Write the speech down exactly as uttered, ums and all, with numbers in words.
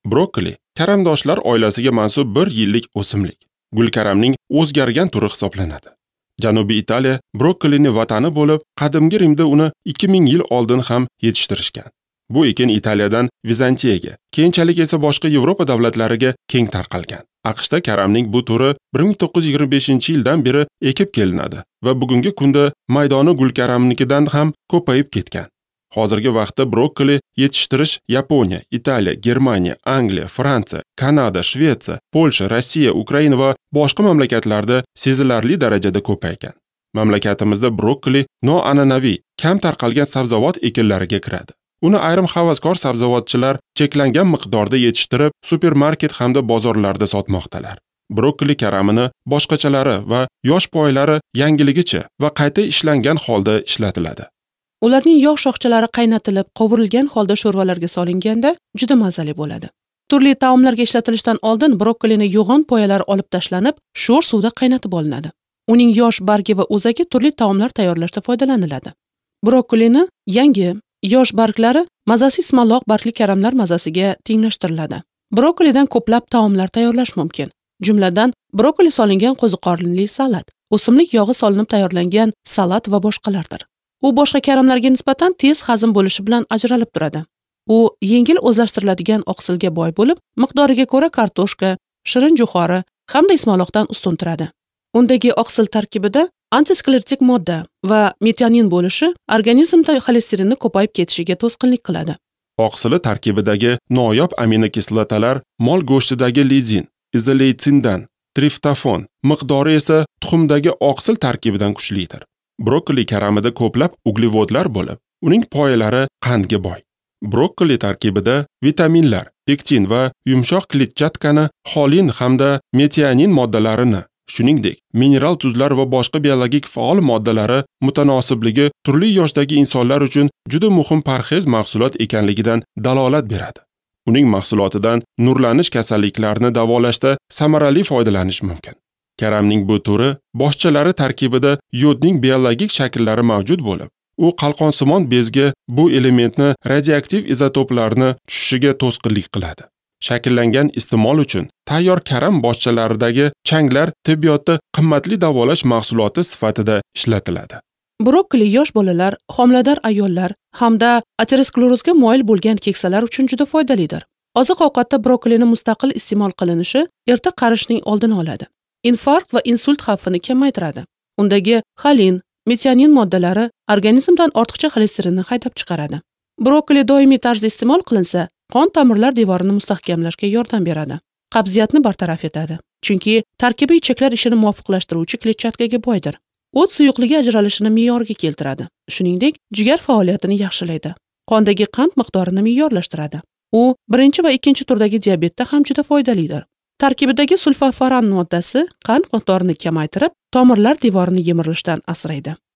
Brokkoli karamdoshlar oilasiga mansub bir yillik o'simlik. Gulkaramning o'zgargan turi hisoblanadi. Janubiy Italiya brokkolini vatani bo'lib, qadimgi Rimda uni ikki ming yil oldin ham yetishtirishgan. Bu ekin Italiyadan Vizantiyaga, keyinchalik esa boshqa Yevropa davlatlariga keng tarqalgan. AQShda karamning bu turi bir ming to'qqiz yuz yigirma beshinchi yildan beri ekib kelinadi va bugungi kunda maydoni gulkaramnikidan ham ko'payib ketgan. Hozirgi vaqtda brokkoli yetishtirish Yaponiya, Italiya, Germaniya, Angliya, Fransiya, Kanada, Shvetsiya, Polsha, Rossiya, Ukraina va boshqa mamlakatlarda sezilarli darajada ko'paygan. Mamlakatimizda brokkoli noan'anaviy, kam tarqalgan sabzavot ekinlariga kiradi. Uni ayrim havaskor sabzavotchilar cheklangan miqdorda yetishtirib, supermarket hamda bozorlarda sotmoqdalar. Brokkoli karamini boshqachalari va yosh poylari yangiligicha va qayta ishlangan holda ishlatiladi. Ularning yog' shoxchalari qaynatilib, qovurilgan holda sho'rvalarga solinganda juda mazali bo'ladi. Turli taomlarga ishlatilishidan oldin brokkolini yo'g'on poyalari olib tashlanib, sho'r suvda qaynatib olinadi. Uning yosh bargi va o'zagi turli taomlar tayyorlashda foydalaniladi. Brokkolini yangi yosh barglari mazasi ismaloq bargli karamlar mazasiga tenglashtiriladi. Brokkolidan ko'plab taomlar tayyorlash mumkin. Jumladan, brokkoli solingan qo'ziqorinli salat, o'simlik yog'i solinib tayyorlangan salat va boshqalardir. U boshqa karamlarga nisbatan tez hazm bo'lishi bilan ajralib turadi. U yengil o'zlashtiriladigan oqsilga boy bo'lib, miqdoriga ko'ra kartoshka, shirin jo'xori hamda ismaloqdan ustun turadi. Undagi oqsil tarkibida antisklerotik modda va metionin bo'lishi organizmda xolesterinni ko'payib ketishiga to'sqinlik qiladi. Oqsili tarkibidagi noyob aminokislotalar mol go'shtidagi lizin, izoleytsindan, triftofon miqdori esa tuxumdagi oqsil tarkibidan kuchlidir. Brokkoli karamida ko'plab uglevodlar bo'lib, uning poyalari qandga boy. Brokkoli tarkibida vitaminlar, pektin va yumshoq kletchatkani, xolin hamda metionin moddalarini, shuningdek, mineral tuzlar va boshqa biologik faol moddalari mutanosibligi turli yoshdagi insonlar uchun juda muhim parhez mahsulot ekanligidan dalolat beradi. Uning mahsulotidan nurlanish kasalliklarini davolashda samarali foydalanish mumkin. Karamning bu turi boshchalari tarkibida yodning biologik shakllari mavjud bo'lib, u qalqonsimon bezga bu elementni radioaktiv izotoplarni tushishiga to'sqinlik qiladi. Shakllangan iste'mol uchun tayyor karam boshchalaridagi changlar tibbiyotda qimmatli davolash mahsuloti sifatida ishlatiladi. Brokkoli yosh bolalar, homilador ayollar hamda aterosklerozga moyil bo'lgan keksalar uchun juda foydalidir. Oziq-ovqatda brokkolini mustaqil iste'mol qilinishi erta qarishning oldini oladi. Infarkt va insult xavfini kamaytiradi. Undagi xolin, metionin moddalari organizmdan ortiqcha xolesterinni haydab chiqaradi. Brokkoli doimiy tarzda iste'mol qilinsa, qon tomirlar devorini mustahkamlashga yordam beradi. Qabziyatni bartaraf etadi. Chunki tarkibi ichaklar ishini muvofiqlashtiruvchi kletchatkaga boydir. O't suyuqligi ajralishini me'yorga keltiradi. Shuningdek, jigar faoliyatini yaxshilaydi. Qondagi qand miqdorini me'yorlashtiradi. U birinchi va ikkinchi turdagi diabetda ham juda foydalidir. Tarkibidagi sulforafen moddasi qand miqdorini kamaytirib, tomirlar devorini yemirilishdan asraydi.